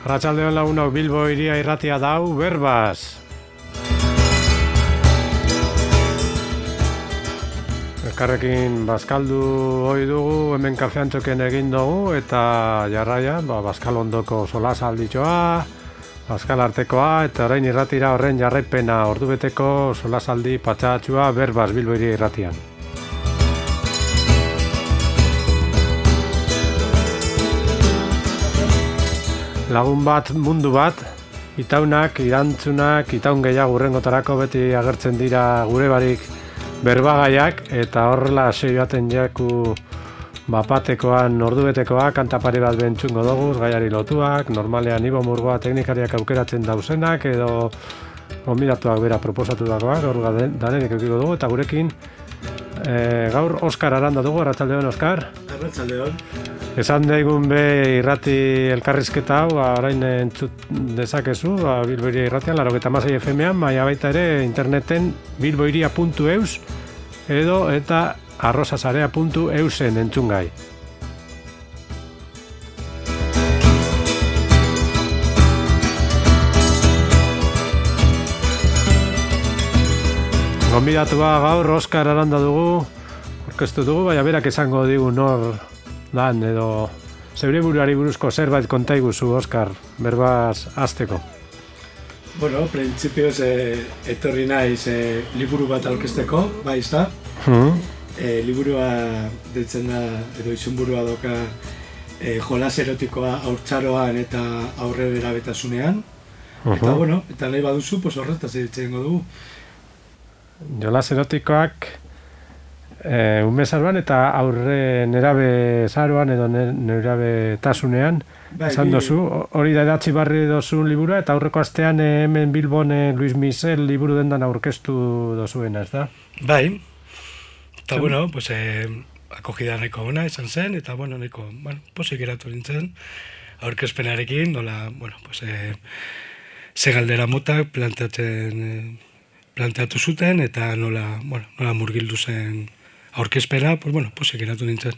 Arratsaldeon lagunok, Bilbo hiria irratia dau berbaz. Elkarrekin bazkaldu hoi dugu, hemen kafeantxoken egin dugu, eta jarraian, bazkal ondoko solasalditxoa, bazkal artekoa, eta orain irratira horren jarraipena ordubeteko solasaldi patxatxua berbaz Bilbo hiria irratian. Lagun bat, mundu bat, itaunak, irantzunak, itaun gehiago urrengotarako beti agertzen dira gure barik berbagaiak, eta horrela sei baten jaku bapatekoan ordubetekoak, kantapari bat bentzungo dugu, gaiari lotuak, normalean Ibo Murgoa teknikariak aukeratzen dauzenak, edo gonbidatuak bera proposatu dagoak, hor danerik eukiko dugu, eta gurekin gaur Oskar Aranda dugu, arratsaldeon Oskar. Arratsaldeon. Esan daigun be irrati elkarrizketa hau, orain entzut dezakezu, Bilbo hiria irratian, 96 FM-ean, baina baita ere interneten bilbohiria.eus edo eta arrosasarea.eusen entzungai. Gonbidatua gaur Oskar Aranda dugu, orkestu dugu, baina berak esango digu nor dan edo zeure buruari buruzko zerbait kontaiguzu, Oskar, berbaz hasteko. Bueno, printzipioz etorri naiz liburu bat aurkezteko, bai, ezta? Liburua deitzen da, edo izenburua doka jolas erotikoa haurtzaroan eta aurre erabetasunean. Eta, bueno, eta nahi baduzu, horretaz egiten dugu. Jolas erotikoak umezaroan eta aurre nerabe zaroan edo nerabe tasunean, esan dozu, hori da idatzi barri dozun liburua, eta aurreko astean hemen Bilbon Luis Michel liburu dendan aurkeztu dozuena, ez da? Bai, eta bueno, pues, akogida nahiko ona izan zen, eta bueno, nahiko, posik geratu nintzen, aurkezpenarekin, nola, bueno, pues, ze galdera motak planteatu zuten, eta nola murgildu zen aurkezpena, pues bueno, posik geratu nintzen.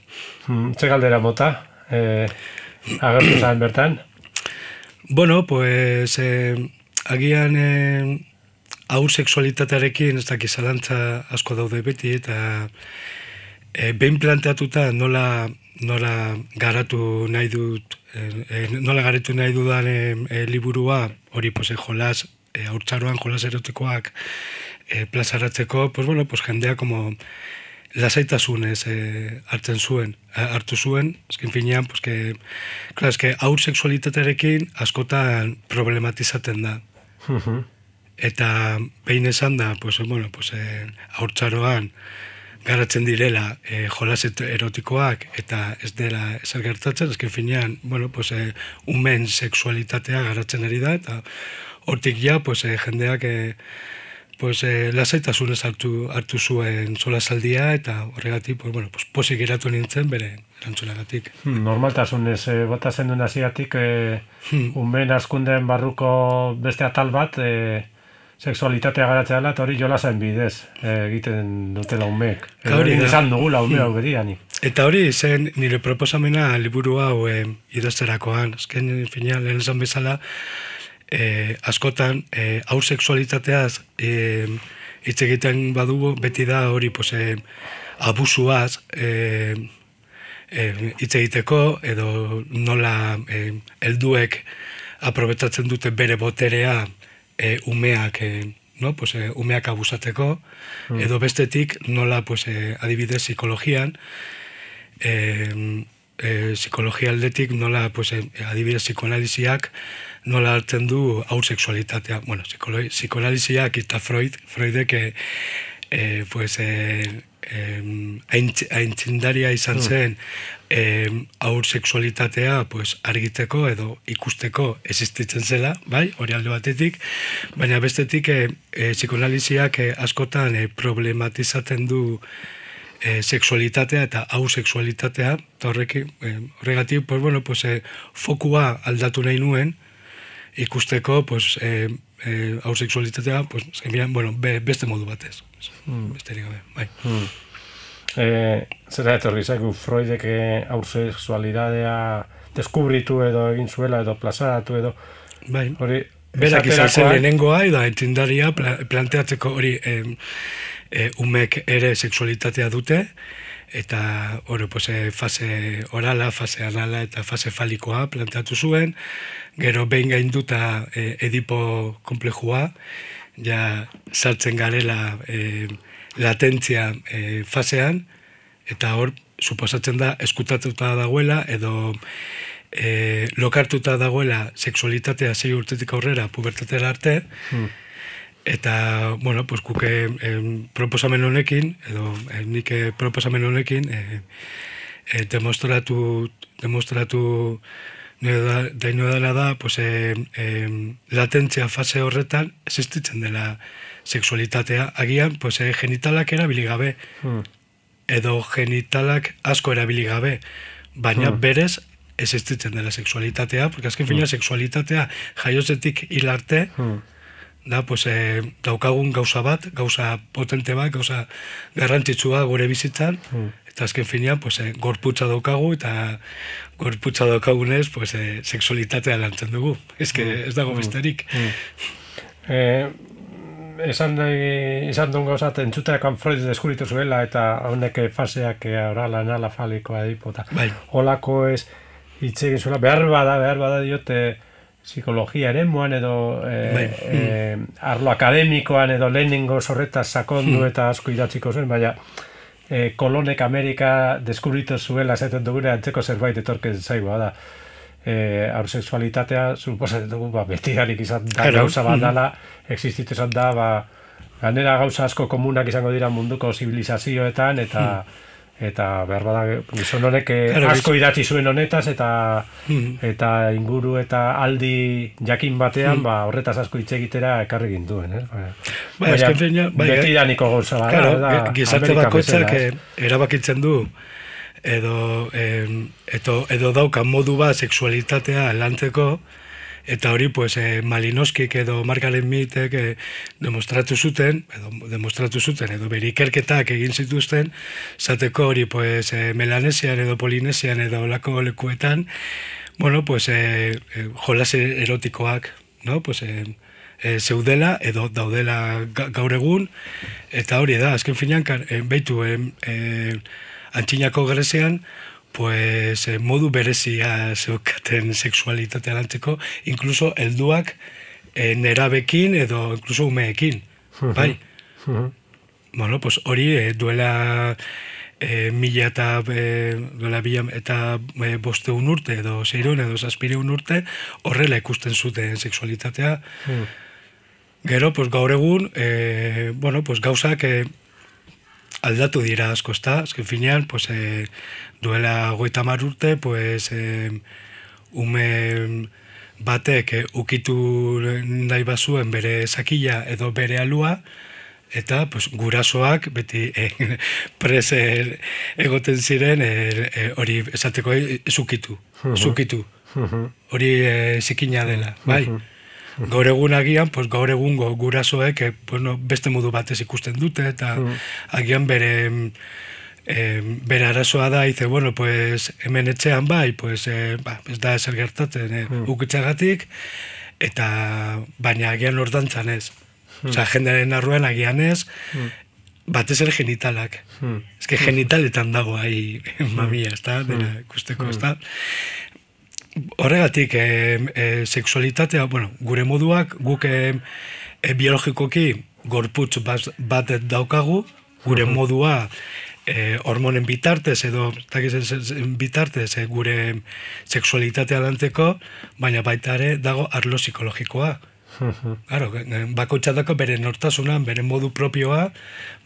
Ze galdera mota, agertu zen bertan? Bueno, pues, agian haur sexualitatearekin ez dakiz zalantza asko daude beti, eta behin planteatuta nola garatu nahi dudan liburua, hori pues, jolas, haurtzaroan jolas erotikoak plazaratzeko, pues bueno, pues jendea como lasaitasunez hartu zuen, eskin finean, pues que haur sexualitatearekin askotan problematizaten da. Eta behin esan da, pues bueno, pues haurtzaroan garatzen direla jolas erotikoak eta ez dela ezer gertatzen, eskin finean, bueno, pues umen sexualitatea garatzen ari da, eta hortik ja, pues jendeak pues lasaitasunez hartu zuen solasaldia, eta horregatik, pues bueno, pues posik geratu nintzen bere erantzunagatik. Normaltasunez bota zen duen hasieratik umeen hazkundeen barruko beste atal bat sexualitatea garatzea dela, eta hori jolasen bidez egiten dutela umeek. Izan dugula ume hau beriani. Eta hori zen nire proposamena liburu hau idazterakoan. Azken finean lehen esan bezala, askotan haur sexualitateaz hitz egiten badugu, beti da hori pues, abusuaz hitz egiteko, edo nola helduek aprobetsatzen dute bere boterea umeak umeak abusatzeko, edo bestetik nola pues, adibidez psikologian, psikologia aldetik nola pues, adibidez psikoanalisiak nola hartzen du haur sexualitatea. Bueno, psikoanalisiak eta Freudek pues, aintzindaria izan zen haur sexualitatea pues, argiteko edo ikusteko existitzen zela, bai, hori alde batetik, baina bestetik psikoanalisiak askotan problematizatzen du sexualitatea eta haur sexualitatea, eta horregatik pues, bueno, pues, fokua aldatu nahi nuen, ikusteko pues, haur sexualitatea pues, bueno, beste modu batez. Besterik gabe, bai. Zera etorri zaigu Freudek haur sexualitatea deskubritu edo egin zuela edo plazaratu edo bai. hori Berak izan zen lehenengoa, eta entzindaria planteatzeko hori umek ere sexualitatea dute, eta pues, fase orala, fase anala eta fase falikoa planteatu zuen, gero behin gainduta Edipo komplejua, ja sartzen garela latentzia fasean, eta hor, suposatzen da, eskutatuta dagoela, edo lokartuta dagoela sexualitatea 6 urtetik aurrera pubertatera arte, eta, bueno, pues kuke proposamen honekin, edo nik proposamen honekin demostratu daino dela da, pues, latentzia fase horretan existitzen dela sexualitatea, agian, pues, genitalak erabili gabe, edo genitalak asko erabili gabe, baina berez existitzen dela sexualitatea, porque azken fina sexualitatea jaiozetik hil arte, da, pues, daukagun gauza bat, gauza potente bat, gauza garrantzitsua gure bizitzan, eta azken finean, pues, gorputza daukagu, eta gorputza daukagunez, pues, sexualitatea lantzen dugu. Ez dago besterik. Esan duen gauzat, entzuteakan Freud deskuritu zuela, eta honek faseak orala, anala, falikoa, edipota. Holako ez hitz egin zuela, behar bada diote, psikologia eremuan edo arlo akademikoan edo lehenengo horretaz sakondu eta asko idatziko zuen, baina kolonek Amerika deskubritu zuela esaten dugune antzeko zerbait etorken zaigoa da. Aurosexualitatea suposatzen dugu betidanik izan da gauza bat dela, existitu izan da, ganera gauza asko komunak izango dira munduko zibilizazioetan eta behar bada gizon honek asko idatzi zuen honetaz eta inguru eta aldi jakin batean horretaz asko hitz egitera ekarri ginduen. Betidaniko gauza bat. Gizarte bakoitzak erabakitzen du edo dauka modu bat sexualitatea lantzeko, eta hori, pues, Malinowskik edo Margaret Meadek demostratu zuten, edo bere ikerketak egin zituzten, zateko hori, pues, Melanesian edo Polinesian edo olako lekuetan, bueno, pues, jolas erotikoak, no? Pues, zeudela edo daudela gaur egun, eta hori da, azken finean, behitu, Antzinako Grezian, pues, modu berezia zeukaten sexualitatea lantzeko, incluso helduak nerabekin edo incluso umeekin, bai? Bueno, pues hori duela 1000 eta 500 urte edo 600 edo 700 urte horrela ikusten zuten sexualitatea. Gero, pues gaur egun, bueno, pues gauzak aldatu dira asko, ezta? Azken finean, pues, duela 50 urte, pues, ume batek ukitu nahi bazuen bere zakila edo bere alua, eta, pues, gurasoak beti pres egoten ziren hori esateko zukitu. Hori zikina dela, bai? Gaur egun agian, pues, gaur egungo gurasoek beste modu batez ikusten dute, eta agian bere arazoa da, ize, bueno, pues, hemen etxean bai, pues, ez da ezer gertatzen ukitzagatik, eta baina agian ordantzan ez. Osa, jendearen arruan agian ez, batez ere genitalak. Ez que genitaletan dago ahi mamia, ez da, dena ikusteko, ez da. Horregatik, sexualitatea, bueno, gure moduak, guk biologikoki gorputz bat daukagu, gure modua hormonen bitartez edo bitartez gure sexualitatea lantzeko, baina baita ere dago arlo psikologikoa. Claro, bakoitza dako bere nortasunan, bere modu propioa,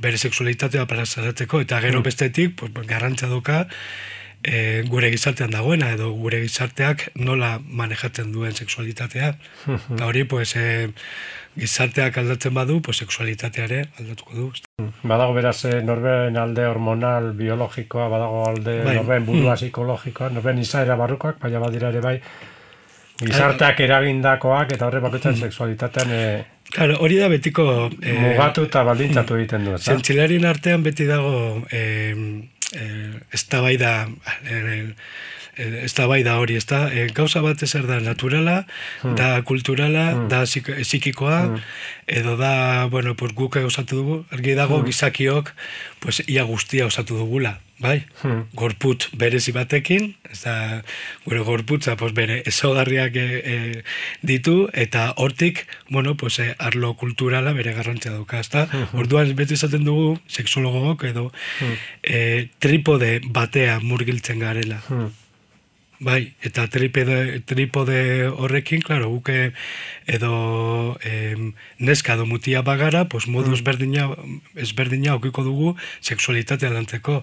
bere sexualitatea plazaratzeko, eta gero bestetik, garrantza doka, gure gizartean dagoena edo gure gizarteak nola manejatzen duen sexualitatea. Eta hori, pues, gizarteak aldatzen badu, pues, sexualitateare aldatuko du. Badago beraz norberen alde hormonal, biologikoa, badago alde norberen burua psikologikoa, norberen izaera barrukoak, baina badira ere bai, gizarteak eragindakoak eta horre bakoitzan sexualitatean claro, hori da betiko mugatu eta baldintzatu egiten du. Zientzialarien artean beti dago eztabaida ez da bai da hori, ez da, gauza bat ezer da naturala, da kulturala, da psikikoa, edo da, bueno, pues guk osatu dugu, argi dago gizakiok, pues ia guztia osatu dugula, bai? Gorputz berezi batekin, ez da, gure gorputza, pues bere ezaugarriak ditu, eta hortik, bueno, pues arlo kulturala bere garrantzia dauka, ez da? Orduan beti esaten dugu, sexologok edo tripode batea murgiltzen garela. Bai, eta tripode horrekin, klaro, guke edo neska edo mutia bagara, pues modu ezberdina okiko dugu sexualitatea lantzeko.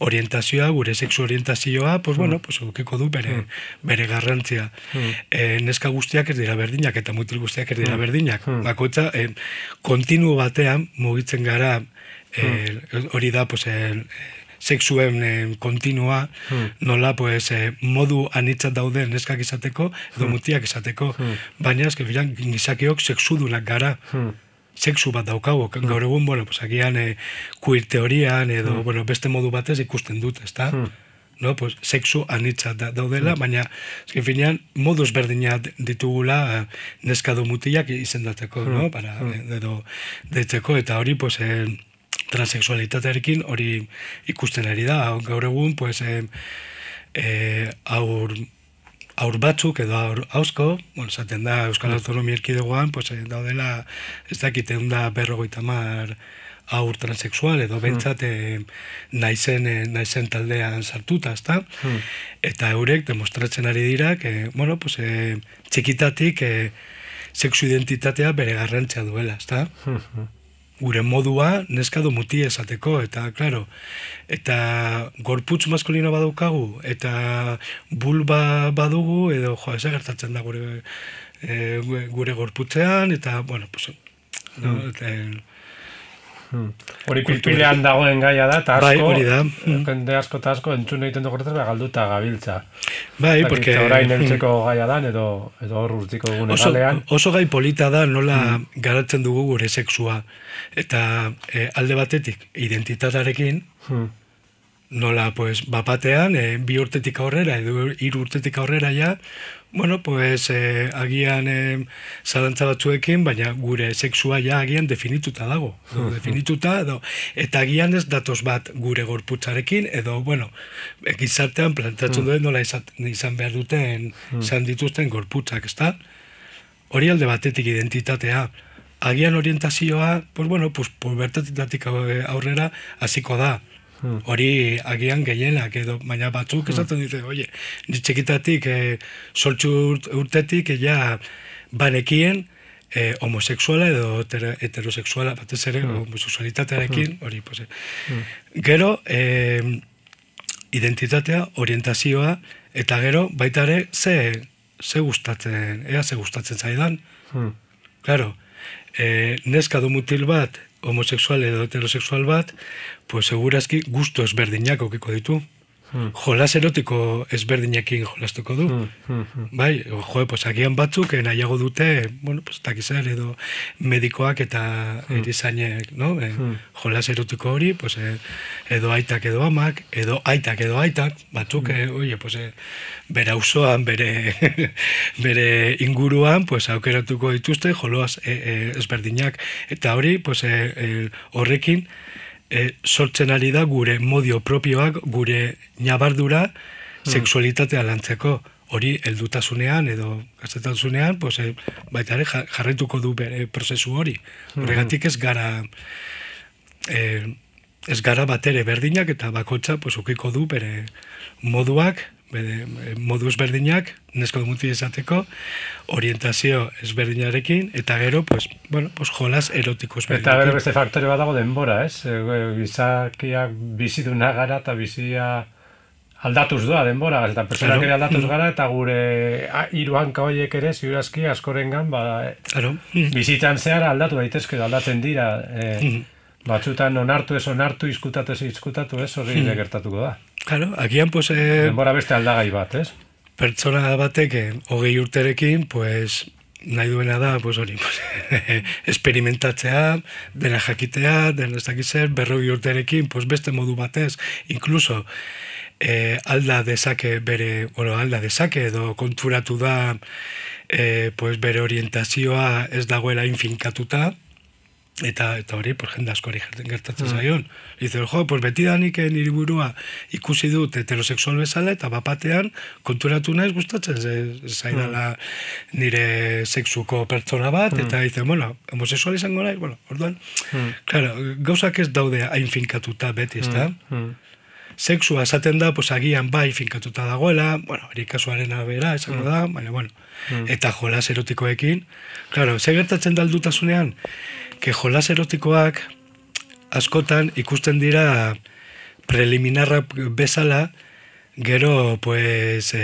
Orientazioa, gure sexu orientazioa, pues bueno, pues okiko du bere garrantzia. Neska guztiak ez dira berdinak eta mutil guztiak ez dira berdinak. Bakoitza, kontinu batean mugitzen gara, hori da, pues, sexuen kontinua, nola pues, modu anitzat dauden neskak izateko, edo mutiak izateko, baina ezken filan gizakiok sexudunak gara, sexu bat daukago, gaur egun, bueno, pues, agian queer teorian, edo bueno, beste modu batez ikusten dut, ezta? No, pues, sexu anitzat daudela, baina ezken finean modu ezberdinak ditugula neska edo mutiak izendateko, no? Para, edo deitzeko, eta hori, pues, transexualitatearekin hori ikusten ari da. Gaur egun, pues, aur batzuk edo auzko, bueno, esaten da Euskal Autonomia Erkidegoan, pues, daudela, ez dakite, 150 aur transexual edo bentsat naizen taldean sartuta, ezta? Eta eurek demostratzen ari dira, bueno, pues, txikitatik sexu identitatea bere garrantzia duela, ezta? Gure modua neska du muti esateko, eta, klaro, eta gorputz maskulino badaukagu, eta bulba badugu, edo, ez gertatzen da gure gorputzean, eta, bueno, pues, hori pilpilean dagoen gaia da, eta bai, hori da. Jende asko eta asko entzun egiten dugu horretaz, galduta gabiltza. Bai, porque... Orain heltzeko gaia da, edo hor urtziko dugun egalean. Oso gai polita da nola garatzen dugu gure sexua. Eta alde batetik, identitatearekin, nola, pues, bapatean, 2 urtetik aurrera, edo 3 urtetik aurrera ja, bueno, pues, agian zalantza batzuekin, baina gure sexua ja agian definituta dago. Definituta, eta agian ez datoz bat gure gorputzarekin, edo, bueno, gizartean plantatzen duen nola izan behar duten, izan dituzten gorputzak, ezta? Hori alde batetik identitatea. Agian orientazioa, pues, bueno, pues, pubertetatik aurrera hasiko da. Hori agian gehienak edo, baina batzuk esaten dute, oie, txikitatik, 8 urtetik, ja banekien homosexuala edo heterosexuala, batez ere, homosexualitatearekin, hori, pues, gero, identitatea, orientazioa, eta gero, baita ere, ze gustatzen zaidan. Claro, neska du mutil bat, homosexual edo heterosexual bat, pues segurazki gusto ezberdinak okiko ditu. Jolas erotiko ezberdinekin jolastuko du. Bai, pues agian batzuk nahiago dute, bueno, pues takizer edo medikoak eta erizainek, no? Jolas erotiko hori, pues edo aitak edo amak, edo aitak, batzuk, oie, pues bere auzoan, bere inguruan, pues aukeratuko dituzte jolas ezberdinak. Eta hori, pues horrekin, sortzen ari da gure modio propioak, gure nabardura sexualitatea lantzeko. Hori heldutasunean edo gaztetasunean, pues, baita ere jarraituko du bere prozesu hori. Horregatik ez gara batere berdinak eta bakotxa, pues, ukiko du bere moduak, modu ezberdinak, nesko muti esateko, orientazio ezberdinarekin, eta gero, pues, bueno, pues, jolas erotiko ezberdinarekin. Eta gero beste faktore bat dago denbora, ez? Gizakiak biziduna gara eta bizia aldatuz doa denbora, eta personak ere aldatuz gara, eta gure hiru hanka horiek ere, ziurazki askorengan, bizitzan zehar aldatu daitezke, aldatzen dira, batzutan onartu ez onartu, izkutatu ez izkutatu, ez, hori gertatuko da. Claro, agian, pues... denbora beste aldagai bat, ez? Pertsona batek, 20 urterekin, pues, nahi duena da, pues, hori, pues, experimentatzea, dena jakitea, dena ez dakizer, 40 urterekin, pues, beste modu batez, incluso, alda dezake edo konturatu da pues bere orientazioa ez dagoela infinkatuta, eta hori, pues, jende askori gertatzen zaion. Dice, pues beti da nik niri burua ikusi dut heterosexual bezala, eta bapatean konturatu naiz gustatzen zaidala nire sexuko pertsona bat, eta dice, bueno, homosexual izango nahi, bueno, orduan, claro, gauzak ez daude hain finkatuta beti, ez da? Sexua esaten da, pues agian bai finkatuta dagoela, bueno, hori kasuaren abera, esango da, baina, bueno, eta jolas erotikoekin, claro, ze gertatzen da aldutasunean, que jolas erotikoak askotan ikusten dira preliminarra bezala, gero, pues,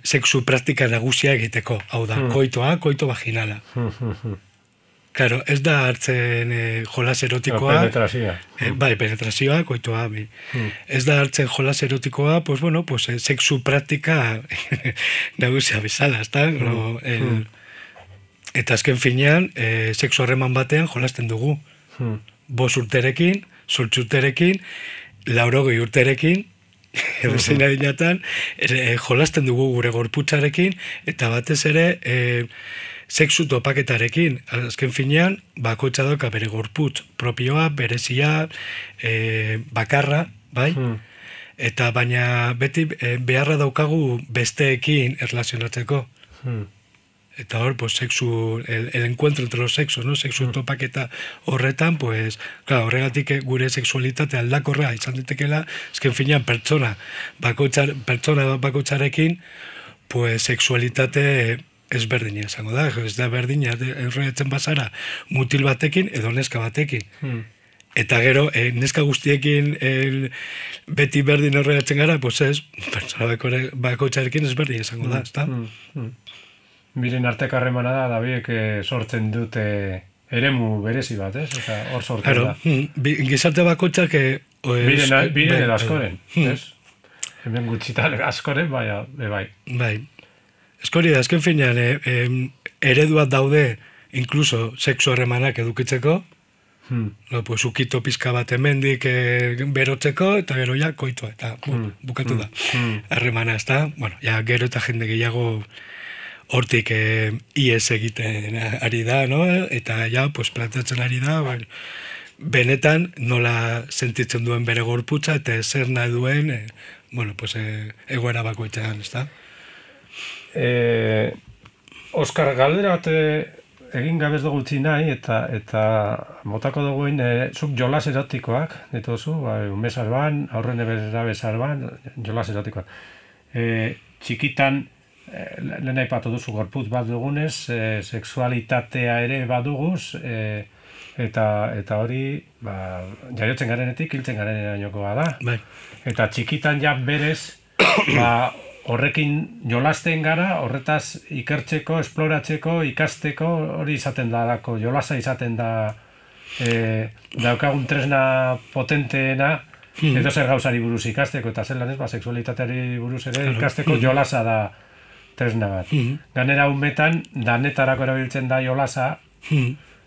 sexu praktika nagusia egiteko, hau da, koito vaginala. Claro, ez da hartzen jolas erotikoa... Penetrazioa. Bai, penetrazioa, koitoa. Ez da hartzen jolas erotikoa, pues, bueno, pues, sexu praktika nagusia bezala, ez da? Eta azken finean, sexu harreman batean jolasten dugu. 5 urterekin, 8 urterekin, 80 urterekin, edozein adinatan, jolasten dugu gure gorputzarekin, eta batez ere, sexu topaketarekin. Azken finean, bakoitza doka bere gorputz propioa, berezia, bakarra, bai? Eta baina beti beharra daukagu besteekin erlazionatzeko. Eta hor, pues, el encuentro entre los sexos, no? Sexu topaketa horretan, pues, claro, horregatik gure sexualitate aldakorra izan ditekela, azken finean pertsona bakoitzarekin, pues, sexualitate ezberdina izango da, ez da berdina erretzen bazara mutil batekin edo neska batekin. Eta gero, neska guztiekin beti berdin horretzen gara, pues ez, pertsona bakoitzarekin ezberdina izango da, ez da? Biren arteko harremana da, dabiek sortzen dute eremu berezi bat, ez? Eta hor sortzen da. Gizarte bakoitzak... Biren edo askoren, ez? Hemen gutxitan askoren, bai. Bai. Eskori da, azken finean, ereduat daude, incluso, sexu harremanak edukitzeko, pues, ukito pizka bat hemendik berotzeko, eta gero ja, koitoa, eta bukatu da. Harremana, ez da? Bueno, ja, gero eta jende gehiago hortik ies egiten ari da, no? Eta ja, pues, plantatzen ari da, benetan nola sentitzen duen bere gorputza, eta zer nahi duen, bueno, pues, egoera bakoitzean, ez da? Oskar, galdera bat egin gabez dugu utzi nahi, eta motako duguin, zuk jolas erotikoak, dituzu, unbez arban, aurren eberabe zarban, jolas erotikoak. Txikitan, lehen aipatu duzu gorputz bat dugunez, sexualitatea ere baduguz, eta hori, jaiotzen garenetik, hiltzen garenetik da. Bai. Eta txikitan ja berez, horrekin jolasten gara, horretaz ikertzeko, esploratzeko, ikasteko, hori izaten da dako, jolasa izaten da daukagun tresna potenteena, edo zer gauzari buruz ikasteko, eta zelan ez, sexualitateari buruz ere ikasteko jolasa da tresna bat. Ganera unmetan, danetarako erabiltzen da jolasa,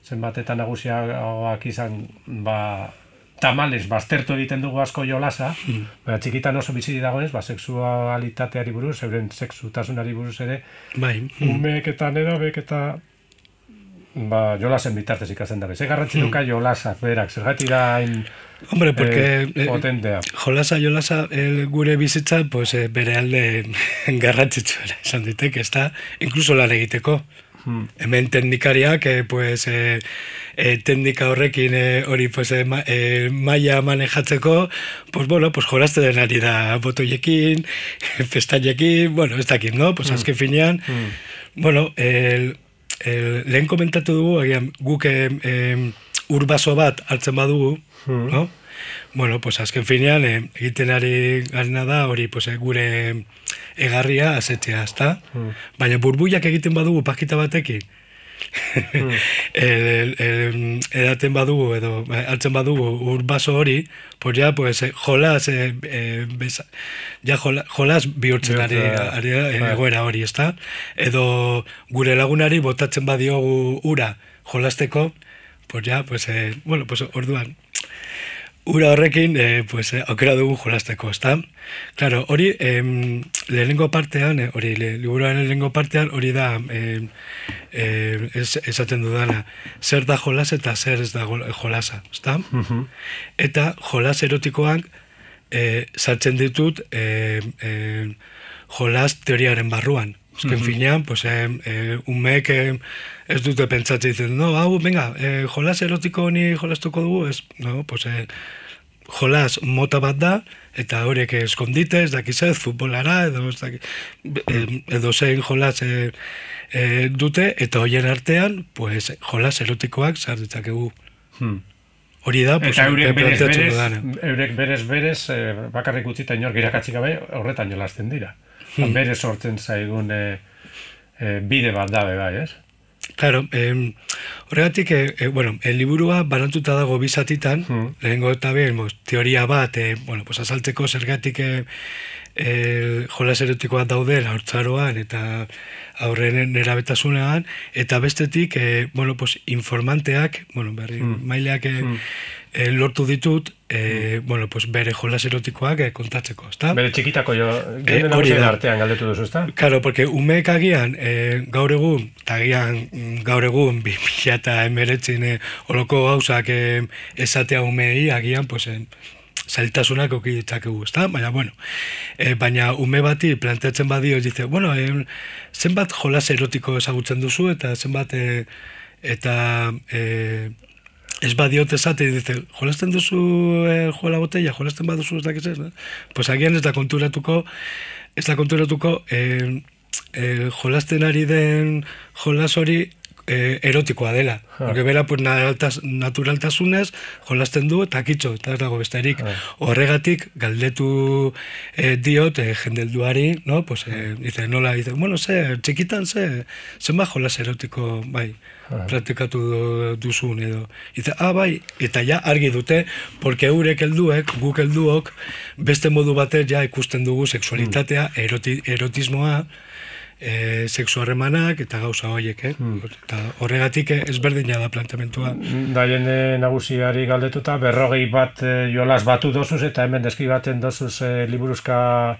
zenbatetan nagusiagoak izan, tamales, baztertu egiten dugu asko jolasa, baina txikitan oso bizi dagoenez, sexualitateari buruz, euren sexutasunari buruz ere, umeek eta nerabek eta jolasen bitartez ikasten dabe. Ze garrantzi duka jolasak, berak, zergatik da hain potentea. Jolasa, gure bizitza, pues, bere alde garrantzitsuera esan ditek, ez da, inkluso lan egiteko. Hemen teknikariak, pues, teknika horrekin hori, pues, maila manejatzeko, pues, bueno, pues, jolaste den ari da botoiekin, pestainekin, bueno, ez dakit, no? Pues, azken finean, bueno, lehen komentatu dugu, agian, guk urbaso bat hartzen badugu, no? Bueno, pues, azken finean, egiten ari garena da, hori, pues, gure egarria asetzea, ezta? Baina burbuiak egiten badugu pakita batekin, edaten badugu, edo hartzen badugu urbaso hori, pues ja, pues, jolas bihurtzen ari egoera hori, ezta? Edo gure lagunari botatzen badiogu ura jolasteko, pues ja, pues, bueno, pues, orduan, Ura horrekin, aukera dugu jolasteko, ezta? Claro, hori, lehenengo partean, liburuaren lehenengo partean, hori da, esaten dudana, zer da jolas eta zer ez da jolasa, ezta? Eta jolas erotikoak sartzen ditut jolas teoriaren barruan. Ezken finean, umeek ez dute pentsatzen ditzen, no, hau, venga, jolas erotiko honi jolastuko dugu, jolas mota bat da, eta horiek eskondite, ez dakizez, futbolara, edo zein jolas dute, eta horien artean, jolas erotikoak sar ditzakegu. Hori da, eta eurek berez, bakarrik utzita inor girakatzik gabe, horretan jolasten dira. Berez sortzen zaigun bide bat dabe bai, ez? Claro, horregatik, liburua banatuta dago bizatitan, lehengo eta teoria bat, azaltzeko zergatik jolas erotikoak daude haurtzaroan eta aurren erabetasunean, eta bestetik, informanteak, maileak lortu ditut, bere jolas erotikoak kontatzeko, ezta? Bere txikitako jenden hausien artean galdetu duzu, ezta? Claro, porque umeek agian gaur egun 2019 oloko gauzak esatea umei agian, zailtasunak oki ditzakegu, ezta? Baina ume bati planteatzen badio, dice, zenbat jolas erotiko ezagutzen duzu, eta zenbat, ez badiot esate, dice, jolasten duzu jola botella, jolasten baduzu ez dakiz ez, agian ez da konturatuko, jolasten ari den jolas hori erotikoa dela. Porque bera, naturaltasunez jolasten du eta kitxo, eta ez dago besterik. Horregatik, galdetu diot jendelduari, no? Dice, nola, dice, txikitan zenba jolas erotiko, praktikatu duzun edo. Dice, bai, eta ja argi dute, porque guk helduok, beste modu batez ja ikusten dugu sexualitatea, erotismoa, sexu harremanak eta gauza horiek, eta horregatik ezberdina da planteamentua. Da jende nagusiari galdetuta, 40 bat jolas batu dozuz, eta hemen deskibaten dozuz liburuzka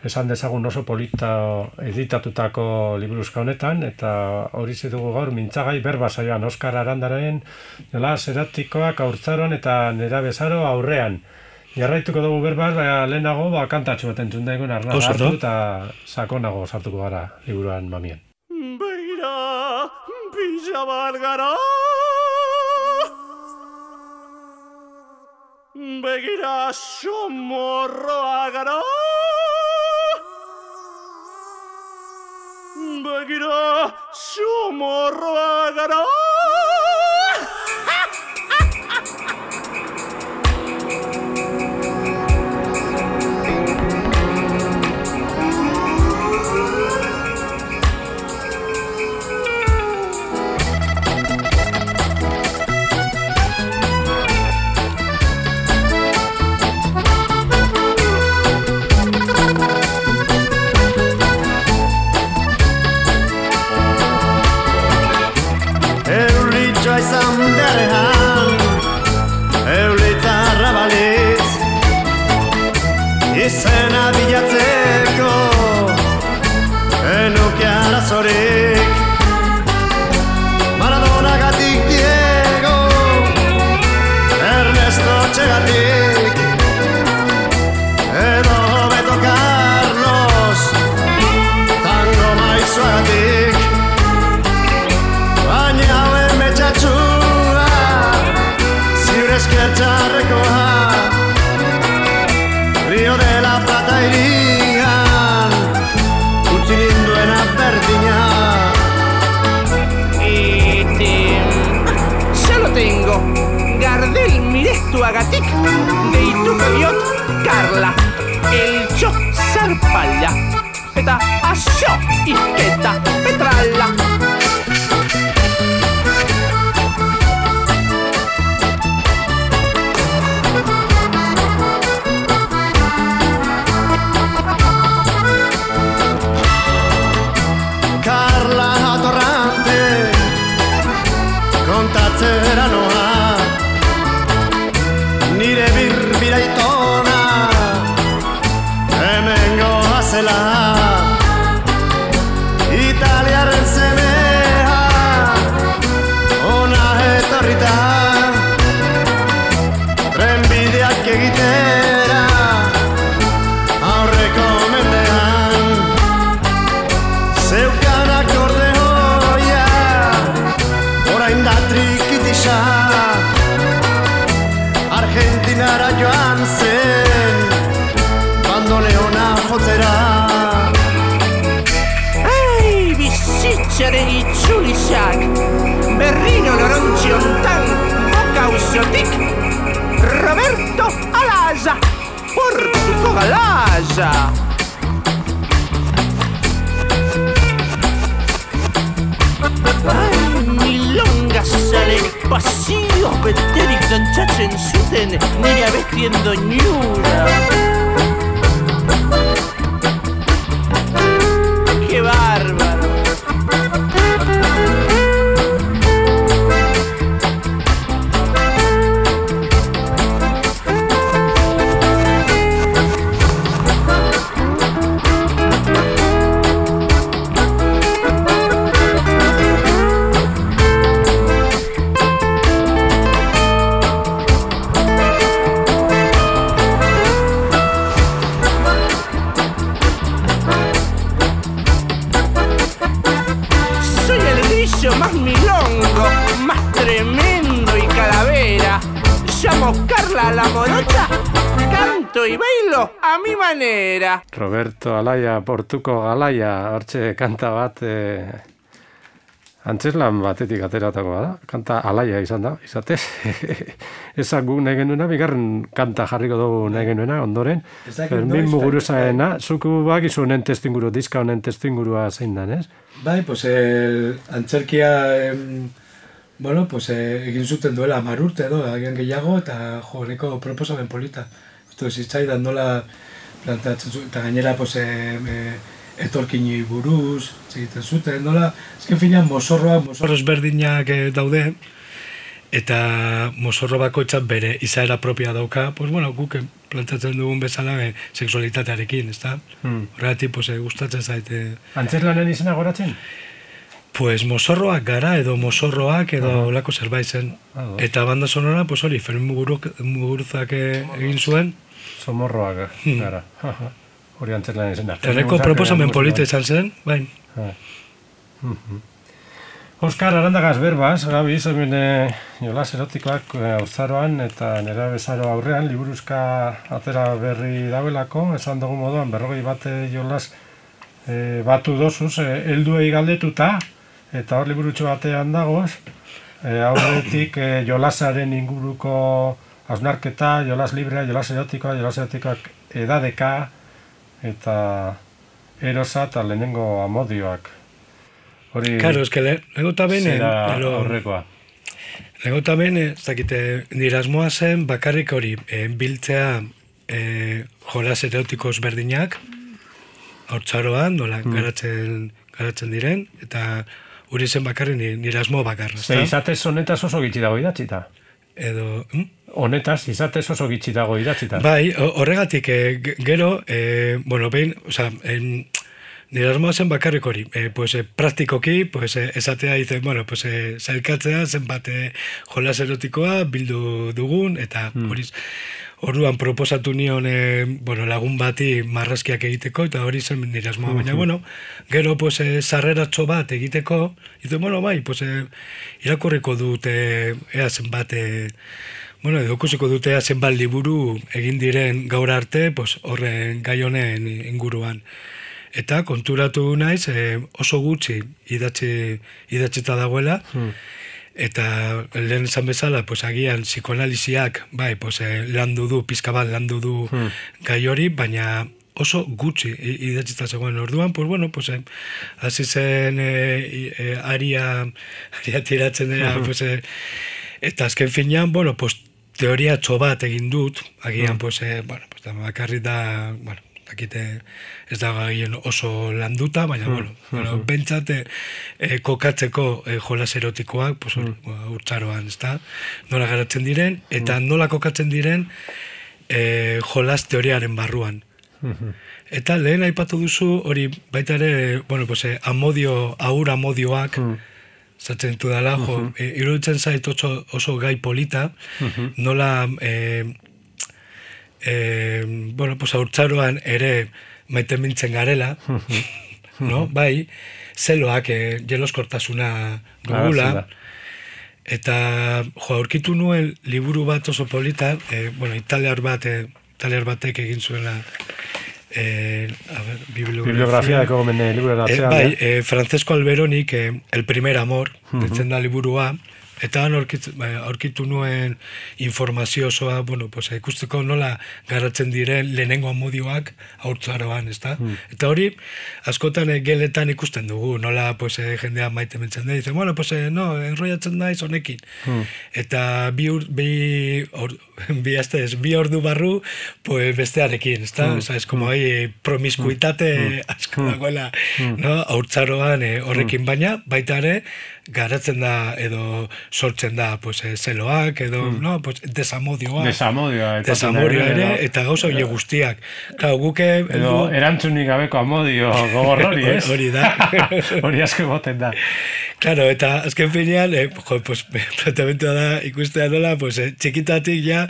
esan dezagun oso polita editatutako liburuzka honetan, eta hori dugu gaur mintzagai berba saioan Oskar Arandaren jolas erotikoak haurtzaroan eta nerabezaro aurrean. Jarraituko dugu berba, lehenago kantatxo bat entzun daigun arna hartu eta sakonago sartuko gara liburuan mamien. Begira, pixabat gara, begira, somorroa gara, begira, somorroa gara. Izena bilatzeko enuke arazorik Maradonagatik Diego Ernesto Txegatik edo Beto Carlos tango maizuagatik baina hauen metxatxua ziur eskertxarrekoa Rio de la Plata irian utzi ninduena berdina Ya lo tengo, Gardel Mirestuagatik deituko diot Carla, eltxo zarpalla eta axo izketa petrala Kontatzera noa nire bideak egitera aurreko mendean zeukan akorde hoia orain da trikitisa Argentinara joan zen bandoneona jotzera Bizitzaren itzulisak berriro lorontzi hontan bokauziotik Roberto Alaza, Portuko Galaza Milonga zalerik pasio beterik dantzatzen zuten nire abestien doinura ¡Qué bárbaro! Más milongo, más tremendo y calavera Llamo Carla la morocha, canto y bailo a mi manera Roberto Alaia, Portuko Galaia, hortxe kanta bat antzeslan batetik ateratakoa da, kanta Alaia izan da, izatez. Ezak gu nahi genuena, bigarren kanta jarriko dugu nahi genuena, ondoren. Fermin Muguruzaena, zuku bakizu honen testinguru, diska honen testingurua zein dan, ez? Bai, pues antzerkia, bueno, pues egin zuten duela 10 urte edo, agian gehiago, eta jo, neko proposamen polita. Esto zitzaidan nola plantatzen zuten, eta gainera, pues, etorkini buruz, egiten zuten, nola, ezken finean mozorro ezberdinak daude, eta mozorro bakoitzak bere izaera propia dauka, pues bueno, guk plantatzen dugun bezala sexualitatearekin, ezta? Horregatik, pues, gustatzen zaite. Antzerlanen izena goratzen? Pues mozorroak gara, edo mozorroak, edo olako zerbait zen. Eta banda sonora, pues hori, Fermin Muguruzak egin zuen. Somorroak gara. Hori antzerlanen izena. Terreko proposamen polita izan zen, bai. Oskar Arandagaz berbaz, gabiz, hemen jolas erotikoak haurtzaroan eta nera bezaro aurrean, liburuzka atera berri dauelako, esan dugu moduan, 21 jolas batu dozuz, helduei galdetuta, eta hor liburutxo batean dagoz, aurretik jolasaren inguruko hausnarketa, jolas librea, jolas erotikoak edadeka, eta erosa eta lehenengo amodioak. Claro, es que legotaben horrekoa. Legotaben, ez dakite, nire asmoa zen bakarrik hori biltzea jolas erotikoz berdinak haurtzaroan, nola garatzen diren, eta hori zen bakarrik nire asmoa bakarra. Izatez honetaz oso gitxi dago idatzita. Edo... Honetaz, izatez oso gitxi dago idatzita. Bai, horregatik, gero, bueno, behin, oza, nire asmoa zen bakarrik hori, pues, praktikoki, pues, esatea ditzen, bueno, pues, zailkatzea zenbat jolas erotikoa bildu dugun, eta hori, orduan proposatu nion bueno, lagun bati marrazkiak egiteko, eta hori zen nire asmoa, baina, bueno, gero, pues, sarreratxo bat egiteko, ditzen, bueno, bai, pues, irakurriko dute, ea zenbat, bueno, edukusiko dute ea zenbat liburu egin diren gaur arte, pues, horren gai honen inguruan. Eta konturatu naiz oso gutxi idatzita dagoela, eta lehen esan bezala, pues, agian psikoanalisiak, bai, pues, pizka bat landu du gai hori, baina oso gutxi idatzita zegoen orduan, pues, bueno, pues, hasi zen aria tiratzen dira, pues, eta azken finean, bueno, pues, teoria txobat egin dut, agian, pues, bueno, pues, bakarrik da, bueno, dakite ez da gehien oso landuta, baina, bueno, bentsat kokatzeko jolas erotikoak, pues, urtzaroan, ez da, nola garatzen diren, eta nola kokatzen diren jolas teoriaren barruan. Eta lehen aipatu duzu, hori baita ere, bueno, pues, amodioak, zatzen du dela, iruditzen zait oso gai polita, nola bueno, pues haurtzaroan ere maite mintzen garela, no? Bai, zeloak jeloskortasuna dugula, eta aurkitu nuen liburu bat oso polita, bueno, italiar batek egin zuela bibliografia deko gomen liburu atzean. Bai, Francesco Alberonik El primer amor, ditzen da liburua, eta aurkitu nuen informazio osoa, bueno, pues, ikusteko nola garatzen diren lehenengo amodioak haurtzaroan, ezta? Eta hori, askotan geletan ikusten dugu, nola pues, jendea maite mentzen da, dice, bueno, pues, no, enrollatzen naiz honekin. Eta bi ordu barru, pues, bestearekin, ezta? Es como ahí promiskuitate asko dagoela, no? Haurtzaroan horrekin baina, baita ere, garatzen da edo sortzen da pues, zeloak edo no, pues, desamodioa ere eta gauza hile guztiak. Claro, guke edo erantzunik gabeko amodio gogor hori, ez? Hori da. Hori asko goten da. Claro, eta azken finean, pues, planteamentua da ikustea nola, pues, txikitatik ja,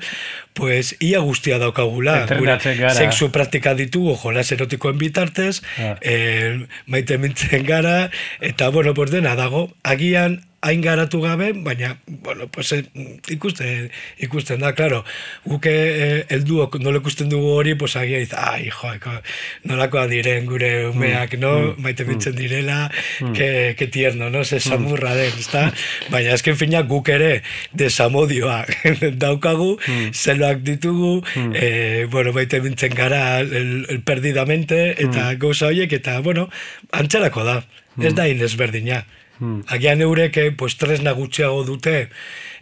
pues, ia guztia daukagula. Sexu praktika ditugu, jolas erotikoen bitartez, maite mintzen gara, eta, bueno, pues, dena dago, agian, hain garatu gabe, baina, bueno, pues, ikusten da, claro, guke helduok nola ikusten dugu hori, pues, agia ai, nolakoa diren gure umeak, no? Maite mintzen direla, que tierno, no? Se samurra den, ezta? Baina, azken fina, guk ere desamodioa daukagu, zeloak ditugu, bueno, maite mintzen gara el perdidamente, eta gauza horiek, eta, bueno, antzerako da, ez da inesberdina. Agian eurek, pues, tresna gutxiago dute,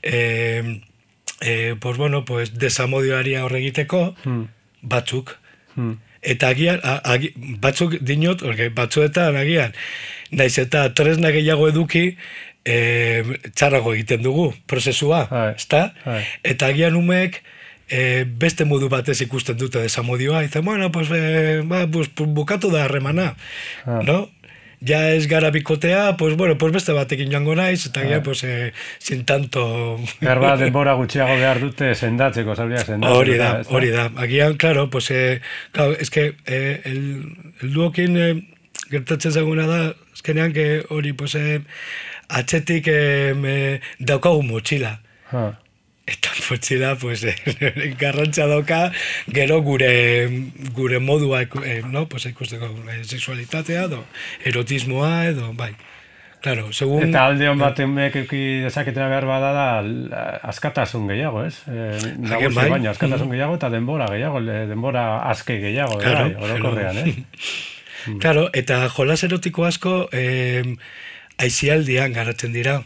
pues, bueno, pues, desamodioari aurre egiteko, batzuk. Eta agian, batzuk dinot, batzuetan agian, naiz eta tresna gehiago eduki, txarrago egiten dugu, prozesua, ezta? Eta agian umeek, beste modu batez ikusten dute desamodioa, dice, bueno, pues, bukatu da harremana, no? Ja ez gara bikotea, pues bueno, pues beste batekin joango naiz, eta gira, pues, sin tanto... Garba denbora gutxiago behar dute sendatzeko, zauriak sendatzeko. Hori da. Agian, claro, pues, claro, es que el duokin gertatzen zaguna da, azkenean, que hori, pues, atxetik daukagu motxila. Eta motxila, pues, garrantza dauka, gero gure modua, no? Pues, ikusteko sexualitatea, edo erotismoa, edo, bai. Claro, segun... Eta alde hon bat emek euki dezaketena behar bada da askatasun gehiago, ez? Nagusi baina, askatasun gehiago eta denbora gehiago, denbora aske gehiago, claro, orokorrean, eh? Claro, eta jolas erotiko asko aizialdian garatzen dira,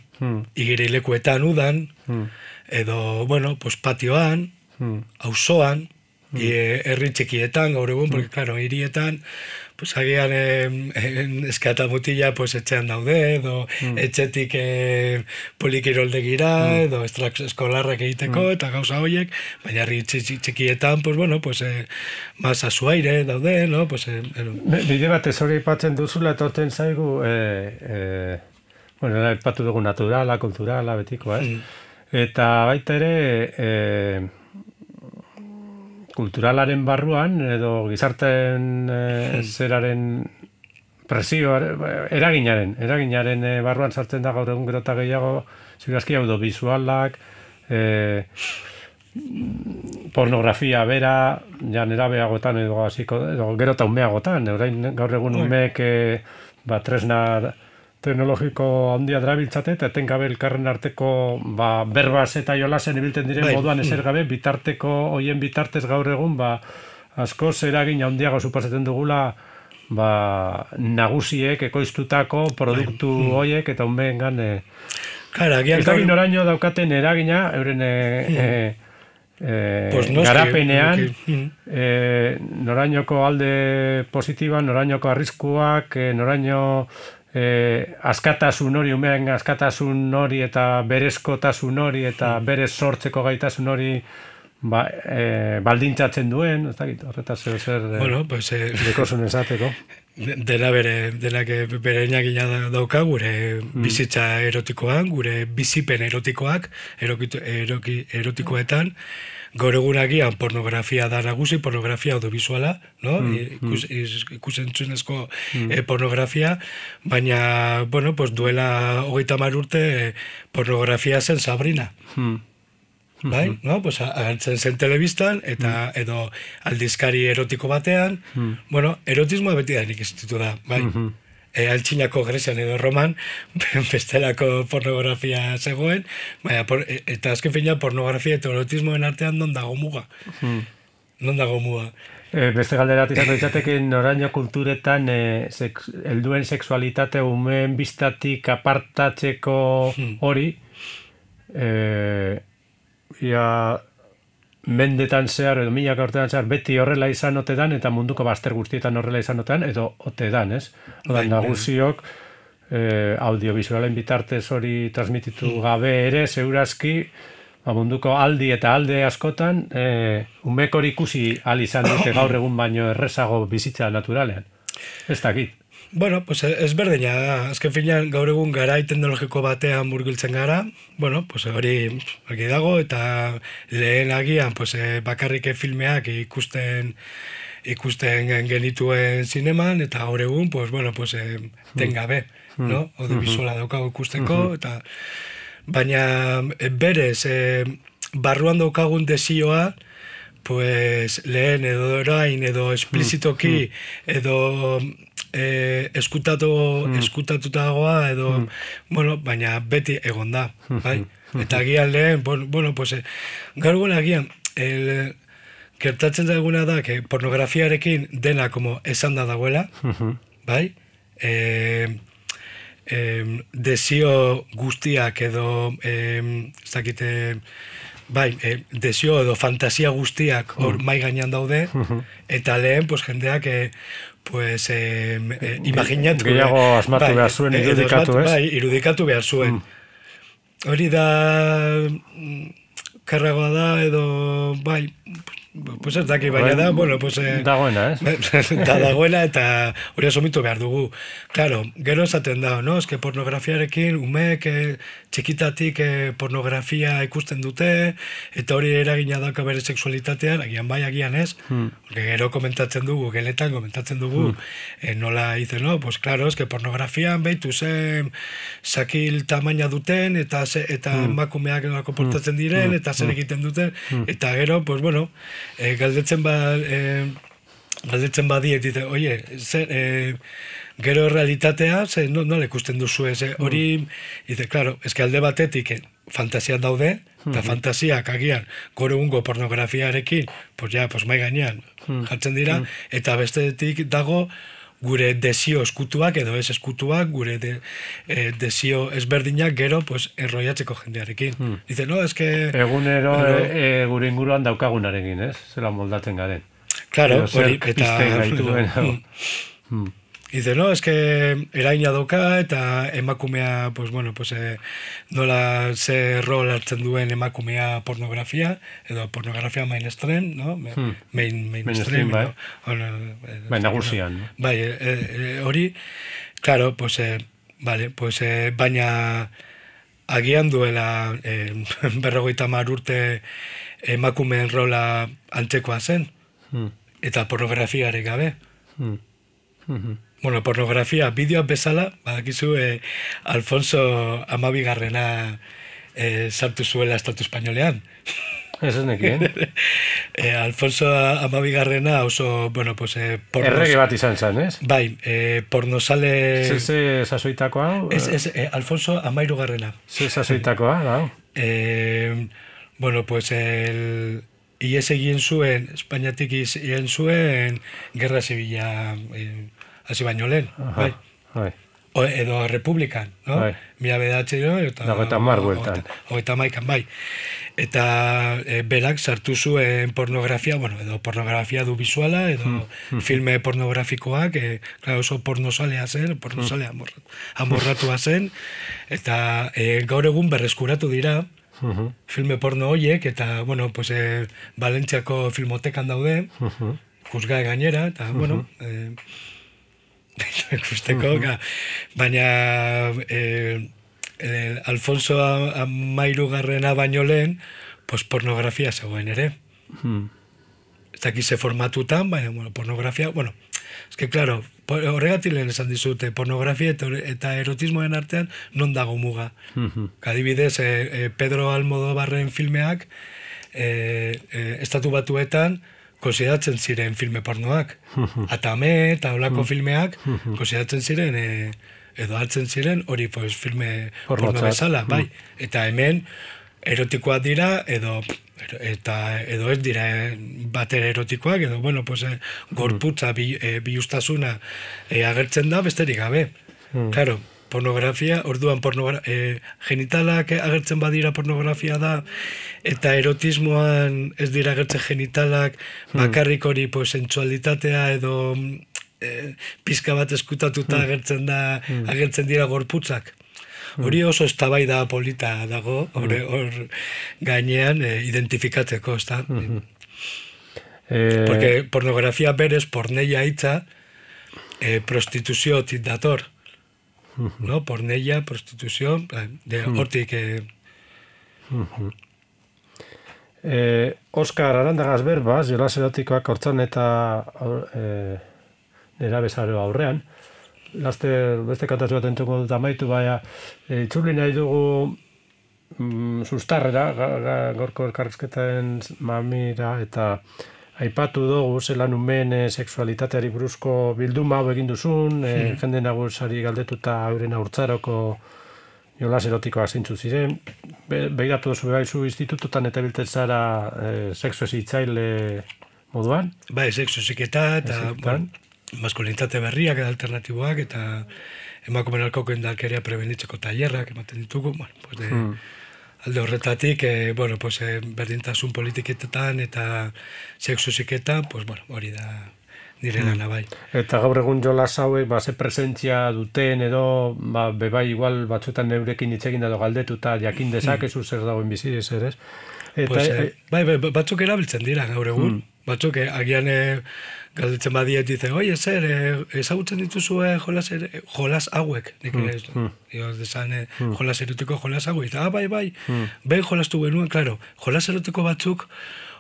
igerilekuetan udan, edo, bueno, pues patioan, auzoan, herri txikietan, gaur egun, porque, claro, hirietan, pues agian eskata mutila, pues etxean daude, edo etxetik polikiroldegira, edo eskolarrak egiteko, eta gauza horiek, baina herri txikietan, pues bueno, pues más azuaire daude, no? Pues, bide batez hori ipatzen duzula, etorten zaigu, bueno, ipatu dugu naturala, kulturala, betikoa, ez? Eta baita ere kulturalaren barruan edo gizarteen zeraren presio eraginaren barruan sartzen da gaur egun gero eta gehiago zirazki audiovisualak, pornografia bera, ja nerabeagotan edo gero eta umeagotan, orain gaur egun umeek tresna teknologiko handia drabiltzate, eta etengabe elkarren arteko berbaz eta jolasen ibilten diren moduan ezer gabe, bitarteko, hoien bitartez gaur egun, askoz eragin handiago suposatzen dugula nagusiek ekoiztutako produktu hoiek eta unbeengan ez da noraino daukaten eragina euren garapenean, norainoko alde positiban, norainoko arriskuak, noraino askatasun hori, umean askatasun hori eta berezkotasun hori eta berez sortzeko gaitasun hori baldintzatzen duen, ez dakit, horretaz zer dekosun esateko. Denak bere inagina dauka gure bizitza erotikoan, gure bizipen erotikoak, erotikoetan, gaur egun agian pornografia da nagusi, pornografia audiovisuala, no? Ikusentzunezko pornografia, baina, bueno, pues duela 30 urte pornografia zen Sabrina. Bai, no? Pues agertzen zen telebistan, eta edo aldizkari erotiko batean, bueno, erotismoa beti da nik existitu da, bai. Altxinako Grezian edo Roman bestelako pornografia zegoen, baina, eta azken fina pornografia eta erotismoen artean non dago muga. Non dago muga. Beste galdera izango litzateke noraino kulturetan helduen sexualitate umeen bistatik apartatzeko hori mendetan zehar edo milaka urtetan zehar beti horrela izan otedan eta munduko bazter guztietan horrela izan otedan edo otedan, ez? Odan nagusiok audiovisualen bitartez hori transmititu gabe ere, segurazki munduko aldi eta alde askotan umek hori ikusi ahal izan dute gaur egun baino errezago bizitza naturalean. Ez dakit. Bueno, pues ezberdina da. Azken finean gaur egun garai teknologiko batean murgiltzen gara. Bueno, pues hori argi dago eta lehen agian pues bakarrik filmeak ikusten genituen zineman eta gaur egun pues bueno, pues tengabe, no? Audiovisuala daukagu ikusteko eta baina berez barruan daukagun desioa pues lehen edo orain edo esplizitoki edo eskutatuta edo bueno, baina beti egon da, bai? Eta agian lehen, bueno, pues gaur egun agian gertatzen daiguna da que pornografiarekin dena como esan da dagoela, bai? Desio guztiak edo ez dakite bai, desio edo fantasia guztiak hor mai gainean daude eta lehen pues jendeak pues imaginatu gehiago asmatu behar zuen irudikatu, ez? Bai, irudikatu behar zuen. Hori da karragoa da edo bai, pues ez daki, baina da, bueno, pues dagoena, ez? Dagoena eta hori asomitu behar dugu. Claro, gero esaten da, no? Eske pornografiarekin umeek txikitatik pornografia ikusten dute eta hori eragina dauka bere sexualitatean, agian bai, agian ez. Gero komentatzen dugu, geletan komentatzen dugu nola dice, no? Pues claro, eske pornografian behitu zen sakil tamaina duten eta emakumeak konportatzen diren eta zer egiten duten eta gero, pues bueno, galdetzen badiet, dice, oye, gero realitatea, nola ikusten duzu ez, hori, dice, claro, eske alde batetik fantasian daude, eta fantasiak agian gaur egungo pornografiarekin, pues ja, pues mai gainean jartzen dira, eta bestetik dago gure desio eskutuak edo ez eskutuak, gure desio ezberdinak gero pues enrollatzeko jendearekin. Dice, no, es que egunero gure inguruan daukagunarekin, ez? Zela moldatzen garen. Claro, hori eta dice, no, es que eraina doka eta emakumea, pues bueno, pues nola ze rol hartzen duen emakumea pornografia edo pornografia mainstream, no? Mainstream, bai. Bai, nagusian. Bai, hori, claro, pues vale, pues baina agian duela 50 urte emakumeen rola antzekoa zen. Eta pornografiare gabe. Bueno, pornografia, bideoak bezala, badakizu Alfonso Amabigarrena sartu zuela Estatu Espainolean. Ez nekien. Alfonso Amabigarrena oso, bueno, pues... Errege bat izan zen, ez? Bai, pornosale... Ze sasoitakoa? Ez, Alfonso Amairugarrena. Ze sasoitakoa, dao? Bueno, pues ies egin zuen, Espainiatik egin zuen, Gerra Zibila hasi baino lehen, bai. Edo Republikan, no? Mila bedatxe, no? Eta mar bueltan. Eta maikan, bai. Eta berak sartu zuen pornografia, bueno, edo pornografia du visuala, edo filme pornografikoak, oso pornosalea zen, pornosalea amorratua zen, eta gaur egun berreskuratu dira, filme porno horiek, eta, bueno, pues, Valentziako filmotekan daude, juzgae gainera, eta, bueno, ikusteko, baina Alfonso Amairugarrena baino lehen, pues pornografia zegoen ere. ez dakize formatutan, baina, bueno, pornografia, bueno, eske, claro, horregatik lehen esan dizute, pornografia eta erotismoen artean non dago muga. Adibidez, Pedro Almodóvarren filmeak, Estatu Batuetan, konsideratzen ziren filme pornoak. Atame eta olako filmeak, konsideratzen ziren, edo hartzen ziren, hori pues, filme porno bezala, bai. Eta hemen, erotikoak dira, edo ez dira batera erotikoak, edo, bueno, pues, gorputza biustasuna agertzen da, besterik gabe. Claro, pornografia, orduan genitalak agertzen badira pornografia da, eta erotismoan ez dira agertzen genitalak, bakarrik hori pues, sensualitatea edo pizka bat eskutatuta agertzen dira gorputzak. Hori oso eztabaida polita dago, hor gainean identifikatzeko, ezta? Porque pornografia berez, porneia hitza, prostituziotik dator. No? Porneia, prostituzio, hortik... Oskar Arandagaz berbaz, jolas erotikoak hortzan eta nera bezaro aurrean, beste kantatu bat entuko dut amaitu, baina itzuli nahi dugu sustarrera, gorko elkarrizketaren mamira, eta aipatu dugu zelan umen sexualitateari buruzko bilduma hau egin duzun, jende nagusari galdetuta euren haurtzaroko jolas erotikoak zeintzu ziren. Begiratu duzu zu institututan eta biltzen zara sexu hezitzaile moduan? Bai, sexu heziketa eta maskulinitate berriak eta alternatiboak eta emakumeen aurkako indarkeria prebenitzeko tailerrak ematen ditugu, bueno, pues alde horretatik, bueno, pues berdintasun politiketetan eta sexu heziketa, pues bueno, hori da nire lana bai. Eta gaur egun jolas hauek ze presentzia duten edo bebai igual batzuetan eurekin hitz egin edo galdetuta jakin dezakezu zer dagoen biziz ere. Bai, batzuk erabiltzen dira gaur egun. Batzuk agian galdetzen badiet ditzen, oie, zer, ezagutzen dituzue jolas hauek. Nik ez, desan jolas erotiko jolas hauek. Bai, behin jolastu genuen, klaro, jolas erotiko batzuk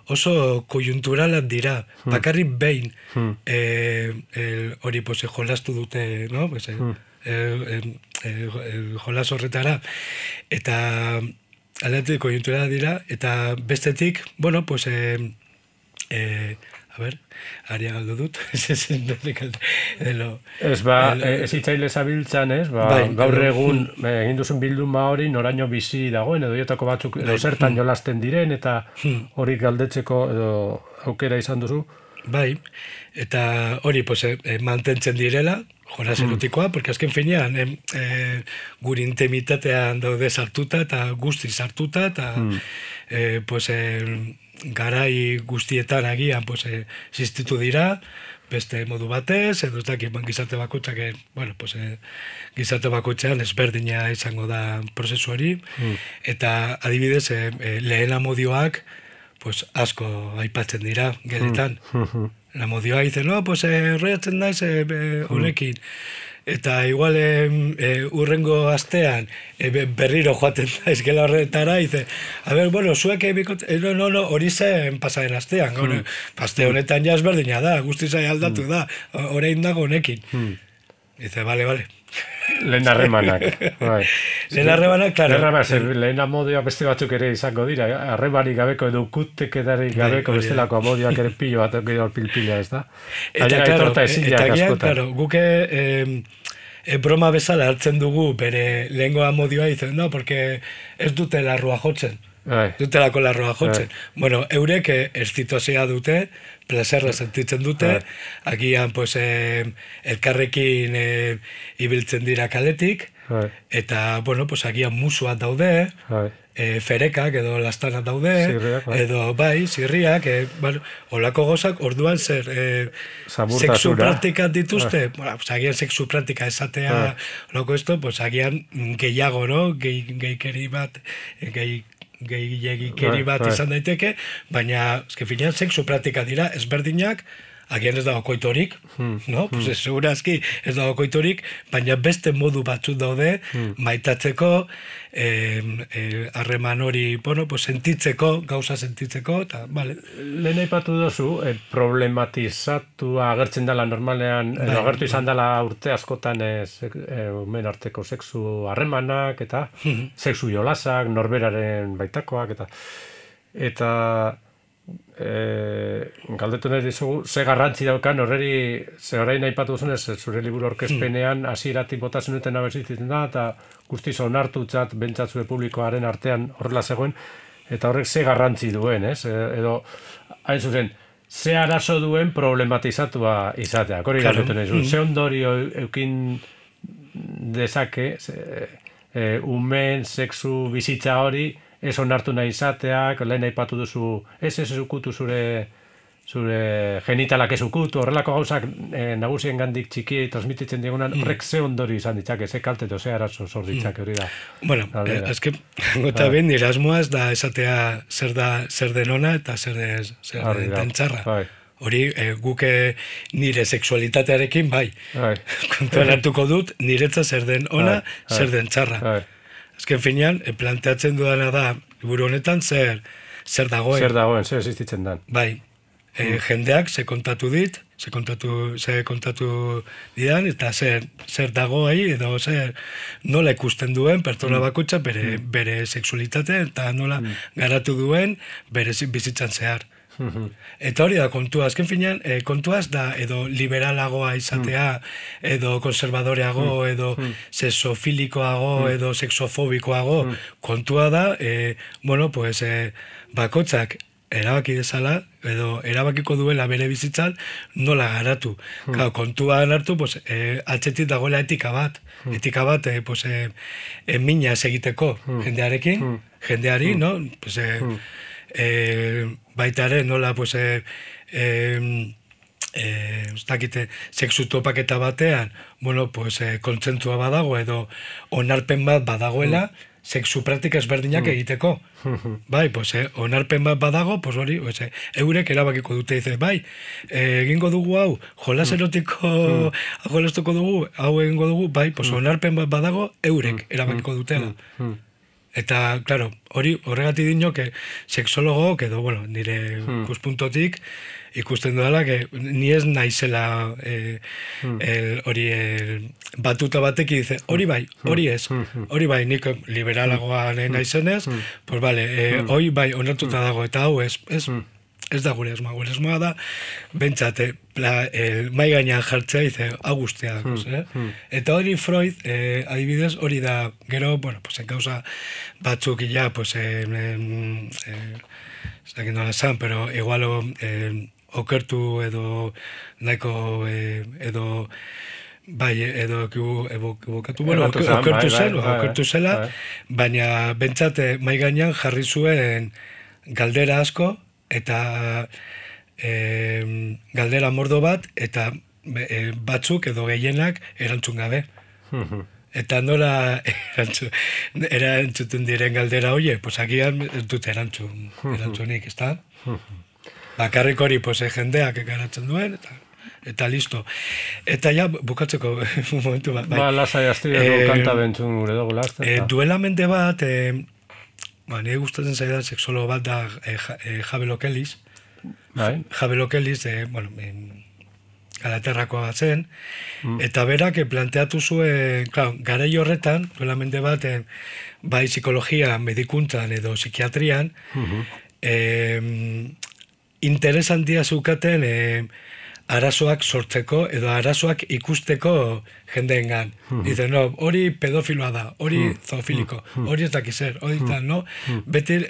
oso koiunturalak dira, bakarrik behin hori jolastu dute, no? Jolas horretara, eta aldetik koiunturalak dira, eta bestetik, bueno, pues, a ver, aria galdu dut. Ez hitzaile zabiltzan, ez? Gaur egun egin duzun bilduma hori noraino bizi dagoen, edo jotako batzuk zertan jolasten diren, eta hori galdetzeko edo aukera izan duzu? Bai, eta hori mantentzen direla, jolas erotikoa, porque azken finean gure intimitatean daude sartuta eta guzti sartuta, eta garai guztietan agian existitu dira, beste modu batez, edo ez dakit gizarte bakutsak, gizarte bakutsean ezberdina izango da prozesu hori, eta adibidez lehen amodioak asko aipatzen dira geletan. La modioa dice, no, roiatzen naiz honekin. Eta igual urrengo astean berriro joaten naiz gela horretara, dice, a ver, bueno, zuek no, hori zen pasaren astean. Aste honetan ja ezberdina da, guzti zai aldatu da, orain dago honekin. Dice, vale. Lehen harremanak. Lehen harremanak, klaro. Lehen amodioa beste batzuk ere izango dira. Harremanik gabeko edo kutekedarik gabeko bestelako amodioak ere pilo bat edo pilpila, ez da? Eta guke broma bezala hartzen dugu bere lehengo amodioa, ditzen, no, porque ez dute larrua jotzen. Dutelako larroa jotzen. Bueno, eurek erzituazioa dute, plazerra sentitzen dute, agian elkarrekin ibiltzen dira kaletik, eta, bueno, agian musuak daude, ferekak edo lastanak daude, edo zirriak, olako gozak, orduan zer, sexu praktikat dituzte, agian sexu praktika esatea, olako esto, agian gehiago, no? Geikeri bat, gehiagikeri bat izan daiteke, baina finean sexu praktika dira ezberdinak agian ez dago koitorik, no? Pues segurazki ez dago koitorik, baina beste modu batzuk daude maitatzeko, harreman hori, bueno, pues sentitzeko, gauza sentitzeko, eta, vale. Lehen aipatu duzu, problematizatua agertzen dela normalean, edo agertu izan dela urte askotan umen arteko sexu harremanak, eta sexu jolasak, norberaren baitakoak, eta galdetu nahi dizugu, ze garrantzi daukan horreri, ze orain aipatu duzunez, zure liburu aurkezpenean hasieratik bota zenuten abertzitzen da, eta guztiz onartutzat bentsatzue publikoaren artean horrela zegoen, eta horrek ze garrantzi duen, ez? Edo, hain zuzen, ze arazo duen problematizatua izateak, hori galdetu nahi zuen, ze ondorio eukin dezake, umen, sexu, bizitza hori, ez onartu nahi izateak, lehen aipatu duzu, ez ukutu zure genitalak ez ukutu, horrelako gauzak nagusien gandik txikiei transmititzen diegunan, horrek ze ondori izan ditzake, ze kalte edo ze arazo zor ditzake hori da. Bueno, eske, gota ben, nire asmoa ez da esatea zer den ona eta zer den txarra. Hori, guke nire sexualitatearekin, bai. Kontuan hartuko dut, niretza zer den ona, zer den txarra. Azken finean, planteatzen dudana da, liburu honetan, zer dagoen. Zer dagoen, zer existitzen dan. Bai, jendeak ze kontatu didan, eta zer dagoei, edo nola ikusten duen pertsona bakutsa bere sexualitatea, eta nola garatu duen bere bizitzan zehar. Eta hori da kontua, azken finean, kontuaz da edo liberalagoa izatea, edo konservadoreago, edo sexofilikoago, edo sexofobikoago, kontua da, bueno, pues, bakotzak erabaki dezala, edo erabakiko duela bere bizitzan, nola garatu. Kontuan hartu, pues, atzetik dagoela etika bat, pues, minaz egiteko jendeari, no? Pues, baita ere, nola, pues, sexu topaketa batean, bueno, pues, kontzentua badago, edo onarpen bat badagoela, sexu praktika ezberdinak egiteko. Bai, pues, onarpen bat badago, pues hori, pues, eurek erabakiko dute, dice, bai, egingo dugu hau, jolas erotiko jolastuko dugu, hau egingo dugu, bai, pues, onarpen bat badago, eurek erabakiko dutela. Eta, claro, horregatik dinok, sexologok, edo, bueno, nire ikuspuntotik, ikusten dudala, ni ez naizela hori batuta batek dice, hori bai, hori bai, nik liberalagoa naizenez, pues vale, hori bai, onartuta dago, eta hau ez da gure esmoa da, bentsate, mai gainean jartzea, dice, hau guztia. Eta hori Freud, adibidez, hori da, gero, bueno, pues, gauza batzuk ja, pues, ez dakit nola esan, pero igualo okertu edo nahiko, edo bai, edo ebokatu, bueno, okertu zela, baina bentsate mai gainean jarri zuen galdera asko, eta galdera mordo bat, eta batzuk edo gehienak erantzun gabe. Eta nola erantzuten diren galdera hoie, pues agian ez dut erantzunik, ezta? Bakarrik hori, pues, jendeak garatzen duen, eta listo. Eta ja, bukatzeko momentu bat. Ba, lasai astillero kanta bentzun gure dugu lasta. Duela mende bat, nire gustatzen zaidan sexologo bat da Jabelo Kellis. Jabelo Kellis, bueno, Galaterrakoa zen, eta berak planteatu zuen, garai horretan, duela mende bat, bai psikologia, medikuntzan edo psikiatrian, interes handia zeukaten arazoak sortzeko edo arazoak ikusteko jendeengan. Dice, no, hori pedofiloa da, hori zoofiliko, hori ez dakiz zer, hori tal, no? Beti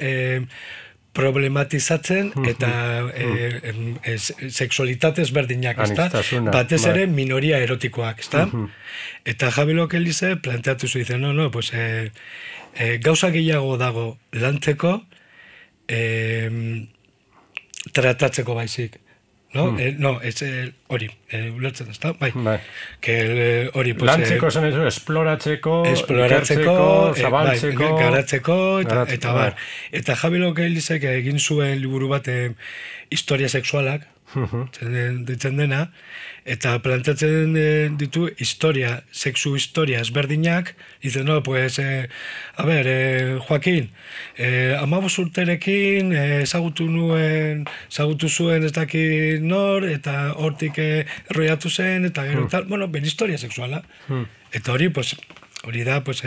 problematizatzen eta sexualitate ezberdinak, ezta? Batez ere minoria erotikoak, ezta? Eta Jabelo Kellize planteatu zu, dice, no, pues gauza gehiago dago lantzeko tratatzeko baizik. No, hori, ulertzen ez da, bai. Bai. Hori, pues... Lantzeko zen ezu, esploratzeko, zabaltzeko, garatzeko, eta bar. Eta Javi Lokelizek egin zuen liburu bat historia sexualak, ditzen dena, eta planteatzen ditu sexu historia ezberdinak, dice, no, pues, a ver, Joaquín, 15 urterekin ezagutu zuen ez dakit nor, eta hortik erroiatu zen, eta gero tal, bueno, ben historia sexuala. Eta hori, pues, hori da, pues,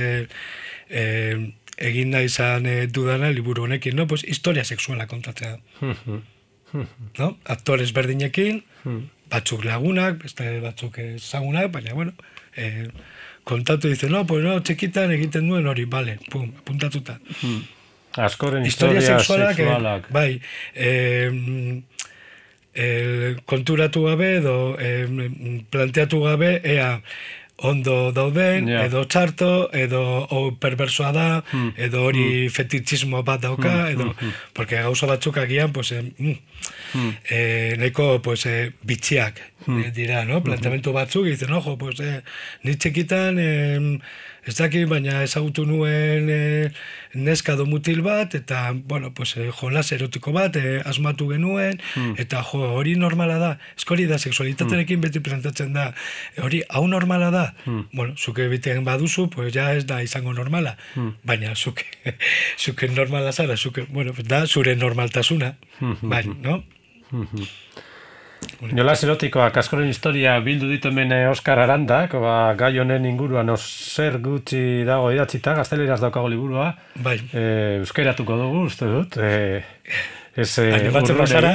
egin da izan dudana liburu honekin, no, pues, historia sexuala kontatzea. No? Aktores berdinekin, batzuk lagunak, beste batzuk ezagunak, baina, bueno, kontatu dice, no, pues no, txikitan egiten duen hori, vale, pum, apuntatuta. Askoren historia sexualak. Bai, konturatu gabe edo planteatu gabe, ea, ondo dauden, edo txarto, edo perversoa da, edo hori fetichismo bat dauka, edo, porque gauza batzuk agian, pues, nahiko, pues, bitxiak dira, no? Planteamentu batzuk, dicen, ojo, pues, ni txikitan, ez dakit, baina ezagutu nuen neska do mutil bat, eta, bueno, pues, jolas erotiko bat, asmatu genuen, eta, jo, hori normala da, eskori da, sexualitaterekin beti plantatzen da, hori, hau normala da, bueno, zuke biten baduzu, pues, ja ez da izango normala, baina zuke normala zara, bueno, da, zure normaltasuna, bai, no? Jolas erotikoak askoren historia bildu ditu hemen Oskar Arandak, gai honen inguruan zer gutxi dago idatzita, gazteleraz daukago liburua, bai. Euskeratuko dugu, uste dut, animatzen bazara.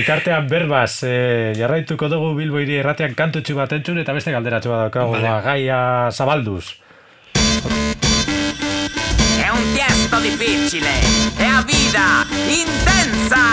Ikartean berbaz, jarraituko dugu Bilbo hiri erratean kantutxu bat entzun, eta beste galderatxu bat daukago, gaia zabalduz. È un tiesto difficile, è a vida intensa!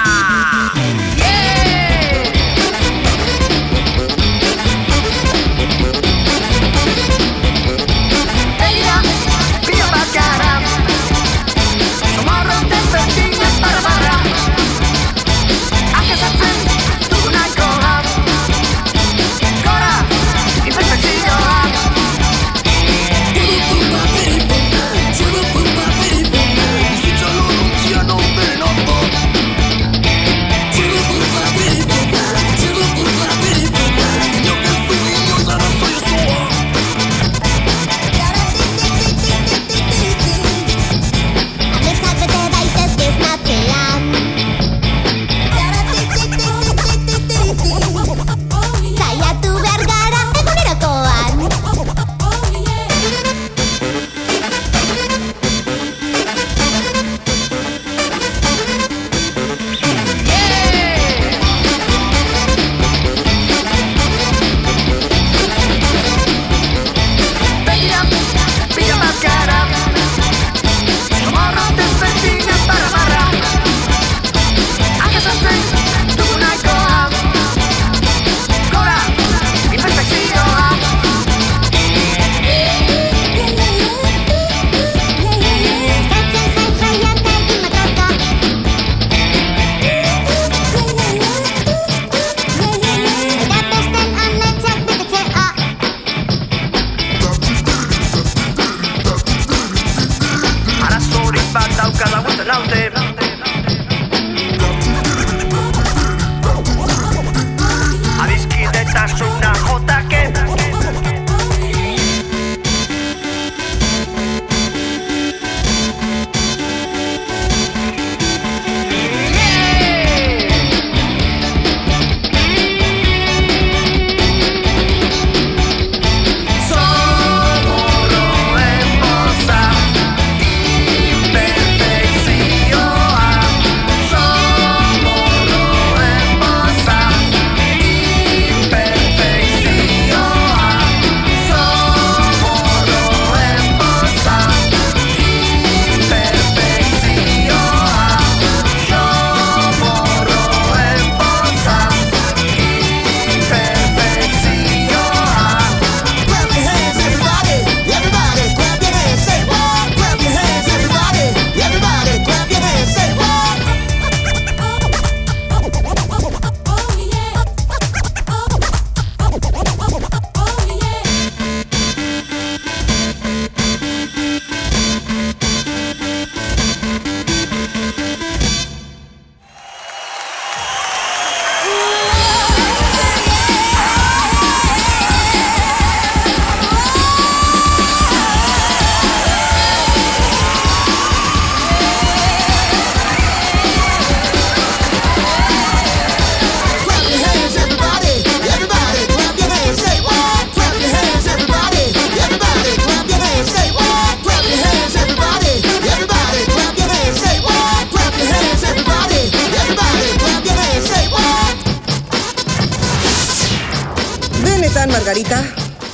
están, Margarita?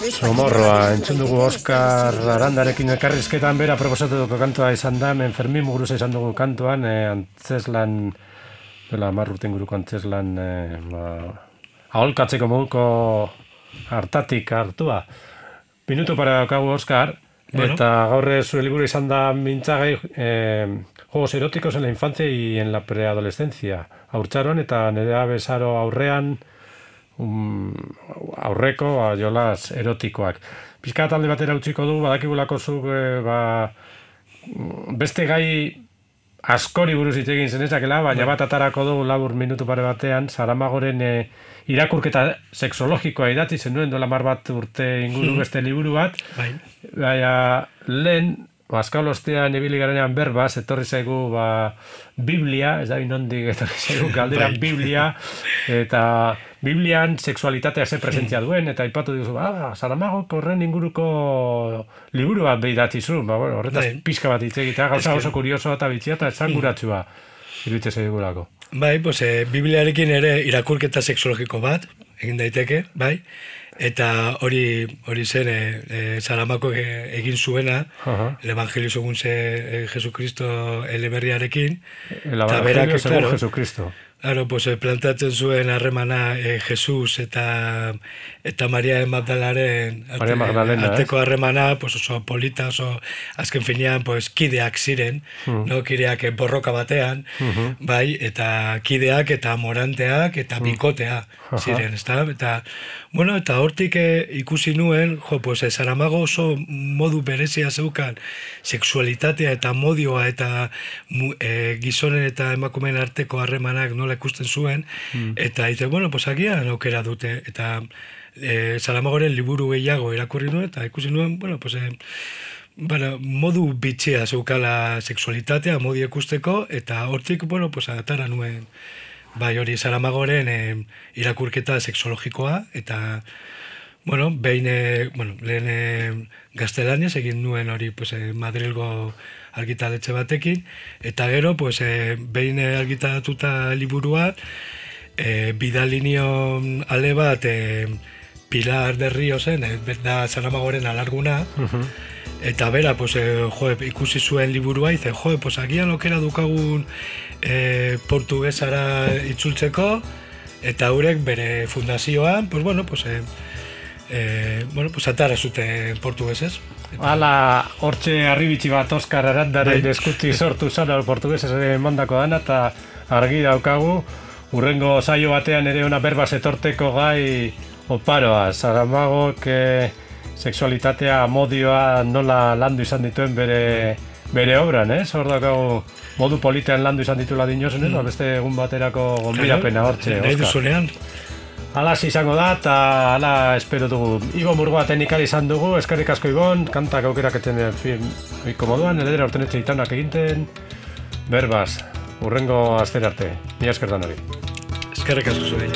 Somorroa, entzun dugu Oskar Arandarekin elkarrizketan bera proposatu dugu kantua izan da, Fermin Muguruza izan dugu kantuan, antzeslan, dela 10 urte inguruko antzeslan, aholkatzeko moduko hartatik hartua. Minutu para daukagu Oskar, eta gaur zure liburu izan da mintzagai juegos eróticos en la infancia y en la preadolescencia. Haurtzaroan eta Nerea Besaro aurrean aurreko jolas erotikoak. Pizka talde batera utziko du, badakigulako zuk beste gai askori buruz hitz egin zenezakela, baina bat atarako dugu labur minutu pare batean, Saramagoren irakurketa sexologikoa idatzi zenuen dola 10 urte inguru beste liburu bat, baina lehen Azkal ostean ibili garenean berbaz, etorri zaigu Biblia, ez da inondik etorri zaigu galdera Biblia, eta Biblian sexualitatea ze presentzia duen, eta aipatu diguzu, Saramagok horren inguruko liburu bat behidatzi zuen, horretaz pixka bat hitz egitea, gauza oso kuriosoa eta bitxia eta esanguratsua iruditzen zaigulako. Bai, Bibliarekin ere irakurketa sexologiko bat, egin daiteke, bai, eta hori zen Saramagok egin zuena, el Evangelio según Jesucristo eleberriarekin, el Evangelio según Jesucristo. Claro, plantatzen zuen harremana Jesus eta Maria Magdalaren arteko harremana, oso polita, oso azken finean kideak ziren, kideak borroka batean, bai, eta kideak eta moranteak eta bikotea ziren, ezta? Eta hortik ikusi nuen, Saramago oso modu berezia zeukan, sexualitatea eta modioa eta gizonen eta emakumeen arteko harremanak nola ikusten zuen, eta agian aukera dute, eta Saramagoren liburu gehiago irakurri nuen, eta ikusi nuen, modu bitxia zeukala sexualitatea, modu ikusteko, eta hortik, atara nuen, hori Saramagoren irakurketa sexologikoa, eta, lehen gaztelaniaz egin nuen hori, Madrilgo argitaletxe batekin, eta gero, behin argitaratuta liburua, bidali nion ale bat Pilar de Río zen, da Saramagoren alarguna, eta bera, ikusi zuen liburua, izen, agian okera dukagun portugesara itzultzeko, eta haurek bere fundazioan, atara zuten portugesez. Hala, hortxe arribitsi bat Oskar Arandaren eskuti sortu zara portugesez mandako dana, eta argi daukagu, urrengo saio batean ere ona berbaz etorteko gai oparoa. Saramagok sexualitatea, modioa nola landu izan dituen bere obran, hor daukagu modu politean landu izan ditula dinozen, beste egun baterako gonbidapena hortxe, Oskar. Nahi duzunean. Hala izango da, eta hala espero dugu. Ibon Murgoa teknikari izan dugu, eskerrik asko Ibon, kantak aukerak etzen komoduan, eledera ortenetxe itaunak eginten, berbaz, urrengo astera arte. Mila esker danari. Eskerrik asko zure.